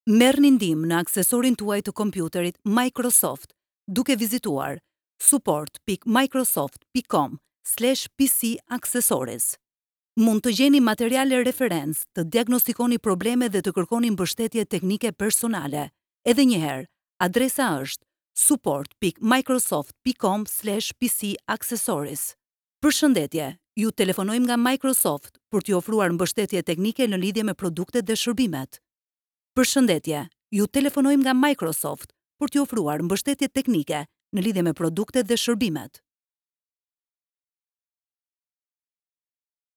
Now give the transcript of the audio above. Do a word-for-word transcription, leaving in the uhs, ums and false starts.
Merrni ndihmë në aksesorin tuaj të kompjuterit Microsoft duke vizituar support pikë microsoft pikë com slash P C accessories. Mund të gjeni materiale referencë, të diagnostikoni probleme dhe të kërkoni mbështetje teknike personale. Edhe një herë, adresa është support pikë microsoft pikë com slash P C accessories. Përshëndetje, ju telefonojmë nga Microsoft për t'ju ofruar mbështetje teknike në lidhje me produktet dhe shërbimet. Përshëndetje, ju telefonojmë nga Microsoft për t'ju ofruar mbështetje teknike në lidhje me produktet dhe shërbimet.